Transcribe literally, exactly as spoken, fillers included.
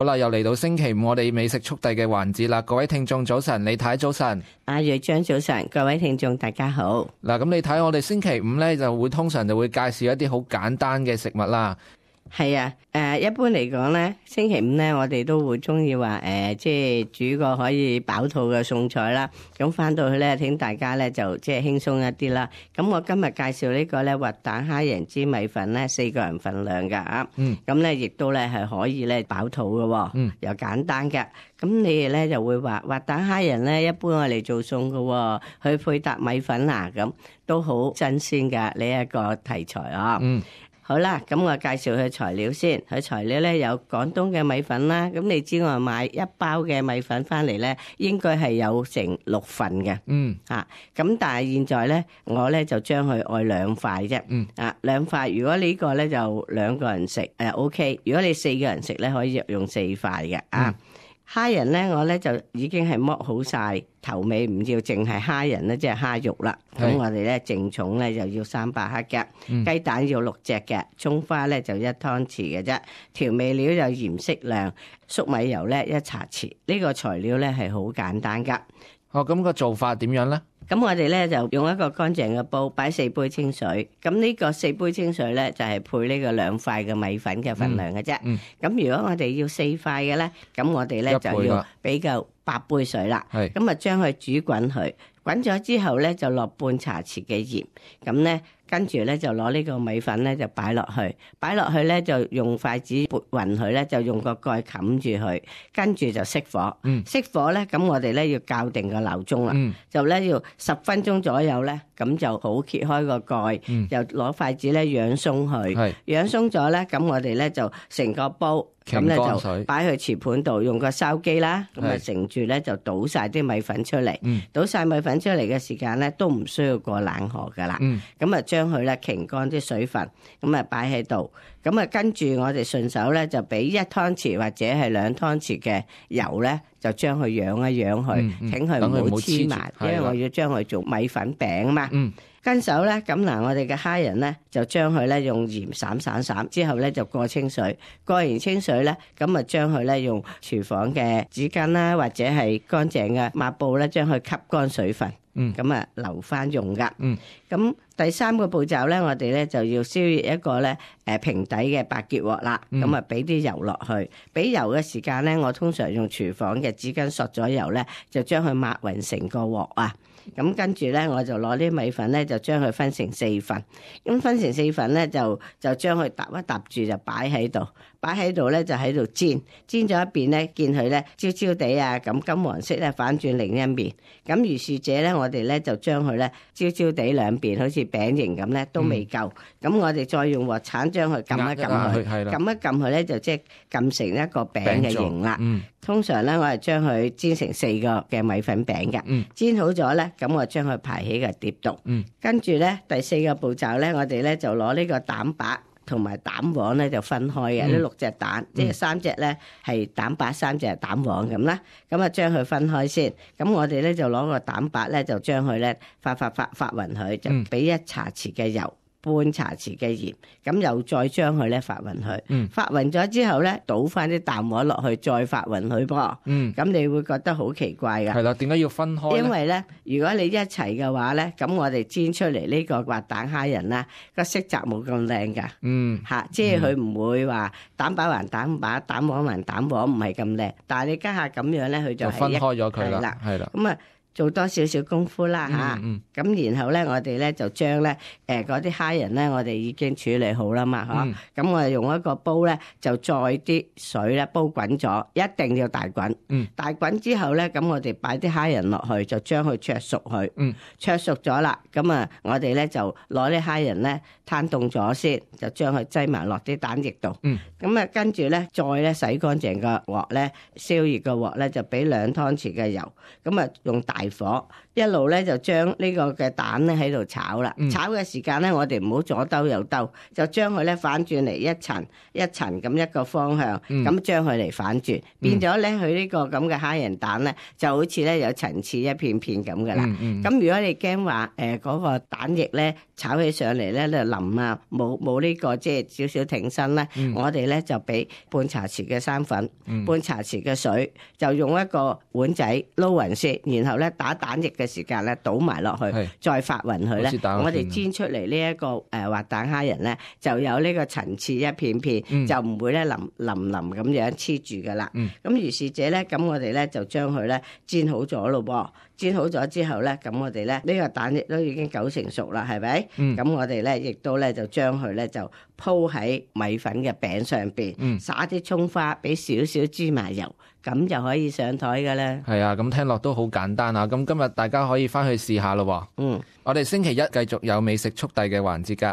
好啦，又嚟到星期五，我哋美食速遞嘅環節啦。各位聽眾早晨，李太早晨，阿瑞章早晨，各位聽眾大家好。嗱，咁你睇我哋星期五咧，就會通常就會介紹一啲好簡單嘅食物啦。係啊，誒、呃，一般嚟講咧，星期五咧，我哋都會中意話誒，即係煮個可以飽肚嘅餸菜啦。咁翻到去咧，請大家咧就即係輕鬆一啲啦。咁我今日介紹呢個咧滑蛋蝦仁之米粉咧，四個人份量噶啊。嗯。咁咧亦都咧係可以咧飽肚嘅，嗯，又簡單嘅。咁你哋咧就會話滑蛋蝦仁咧，一般我嚟做餸嘅，去配搭米粉啊，咁都好新鮮嘅呢一個題材啊。嗯。好啦，咁我介紹佢材料先。佢材料咧有廣東嘅米粉啦。咁你知我買一包嘅米粉翻嚟咧，應該係有成六份嘅。嗯，嚇。咁但係現在咧，我咧就將佢愛兩塊啫。嗯，啊兩塊。如果呢個咧就兩個人食，誒 OK。如果你四個人食咧，可以用四塊嘅。啊。蝦仁咧，我咧就已經係剝好晒頭尾，唔要淨係蝦仁咧，即係蝦肉啦。咁我哋咧淨重咧就要三百克嘅，嗯、雞蛋要六隻嘅，蔥花咧就一湯匙嘅啫。調味料就鹽適量，粟米油咧一茶匙。呢、這個材料咧係好簡單噶。哦，咁個做法點樣咧？咁我哋咧就用一個乾淨嘅煲，擺四杯清水。咁呢個四杯清水咧就係、是、配呢個兩塊嘅米粉嘅份量嘅啫。咁、嗯嗯、如果我哋要四塊嘅咧，咁我哋咧就要比較八杯水啦。咁啊將佢煮滾佢，滾咗之後咧就落半茶匙嘅鹽。咁咧跟住咧就攞呢個米粉咧就擺落去，擺落去咧就用筷子撥勻佢咧，就用個蓋冚住佢，跟住就熄火。嗯、熄火咧，咁我哋咧要校定個鬧鐘啦，嗯、就咧要十分鐘左右咧，咁就好揭開個蓋，嗯、就攞筷子咧養鬆佢，養鬆咗咧，咁我哋咧就成個煲。咁咧就擺去瓷盤度，用個筲箕啦，咁啊盛住咧就倒晒啲米粉出嚟，嗯、倒晒米粉出嚟嘅時間咧都唔需要過冷河噶啦，咁啊將佢咧擎乾啲水分，咁啊擺喺度，咁啊跟住我哋順手咧就俾一湯匙或者係兩湯匙嘅油咧，就將佢養一養佢，請佢唔好黐埋，因為我要將佢做米粉餅啊嘛。嗯跟手咧，咁嗱，我哋嘅蝦仁咧就將佢咧用鹽散散散，之後咧就過清水，過完清水咧，咁啊將佢咧用廚房嘅紙巾啦，或者係乾淨嘅抹布咧，將佢吸乾水分，咁啊、嗯、留翻用噶。咁、嗯、第三個步驟咧，我哋咧就要燒熱一個咧誒平底嘅白潔鑊啦，咁啊俾啲油落去，俾油嘅時間咧，我通常用廚房嘅紙巾索咗油咧，就將佢抹勻成個鑊啊。咁跟住咧，我就攞啲米粉咧，就將佢分成四份。咁分成四份咧，就就將佢搭一搭住，就擺喺度，擺喺度咧就喺度煎。煎咗一邊咧，見佢咧焦焦地啊，咁金黃色咧，反轉另一面。咁如是者咧，我哋咧就將佢咧焦焦地兩邊，好似餅形咁咧，都未夠。咁、嗯、我哋再用鑊鏟將佢撳一撳佢，撳一撳佢咧就即係撳成一個餅嘅形啦。嗯、通常咧，我係將佢煎成四個嘅米粉餅嘅。嗯、煎好咗咧。咁我將佢排喺個碟度，嗯、跟住咧第四個步驟咧，我哋咧就攞呢個蛋白同埋蛋黃咧就分開嘅，呢、嗯、六隻蛋，即係三隻咧係蛋白，三隻係蛋黃咁啦。咁啊將佢分開先，咁我哋咧就攞個蛋白咧就將佢咧發發發發勻佢，就俾一茶匙嘅油。半茶匙嘅鹽，咁又再將佢咧發勻佢，嗯、發勻咗之後咧，倒翻啲蛋黃落去，再發勻佢噃。咁、嗯、你會覺得好奇怪噶？係啦，點解要分開？因為咧，如果你一齊嘅話咧，咁我哋煎出嚟呢個滑蛋蝦仁啦，個色澤冇咁靚噶。嗯，吓，即係佢唔會話蛋白還蛋白，蛋黃還蛋黃，唔係咁靚。但係你家下咁樣咧，佢就係分開咗佢啦。係啦，咁啊。做多少少功夫啦嚇，咁、嗯嗯、然後咧，我哋咧就將咧誒嗰啲蝦仁咧，我哋已經處理好啦嘛，嗬、嗯。咁我哋用一個煲咧，就載啲水咧，煲滾咗，一定要大滾。嗯、大滾之後咧，咁我哋擺啲蝦仁落去，就將佢灼熟佢。嗯、灼熟咗啦，咁啊，我哋咧就攞啲蝦仁咧攤凍咗先，就將佢擠埋落啲蛋液度。咁啊、嗯，跟住咧再咧洗乾淨個鑊咧，燒熱個鑊咧就俾兩湯匙嘅油，咁啊用大火，一一路咧就將呢個嘅蛋咧喺度炒啦。嗯、炒嘅時間咧，我哋唔好左兜右兜，就將佢咧反轉嚟一層一層咁一個方向，咁、嗯、將佢嚟反轉，變咗咧佢呢個咁嘅蝦仁蛋咧就好似咧有層次一片片咁噶啦。咁、嗯嗯、如果你驚話誒嗰個蛋液咧炒起上嚟咧就腍啊，冇冇呢個即係少少挺身咧，嗯、我哋咧就俾半茶匙嘅生粉，嗯、半茶匙嘅水，就用一個碗仔撈勻先，然後咧打蛋液嘅時間咧倒埋落去，是再發勻佢咧，我哋煎出嚟呢一個誒滑蛋蝦仁咧就有呢個層次一片片，嗯、就唔會咧腍腍腍咁樣黐住噶啦。咁、嗯、如是者咧，咁我哋咧就將佢咧煎好咗咯噃。煎好咗之後咧，咁我哋咧呢個蛋液都已經九成熟啦，係咪？咁、嗯、我哋咧亦都咧就將佢咧就鋪喺米粉嘅餅上邊，嗯、撒啲葱花，俾少少芝麻油，咁就可以上台噶啦。係啊，咁聽落都好簡單啊！咁今日大家可以翻去試下咯。嗯，我哋星期一繼續有美食速遞嘅環節噶。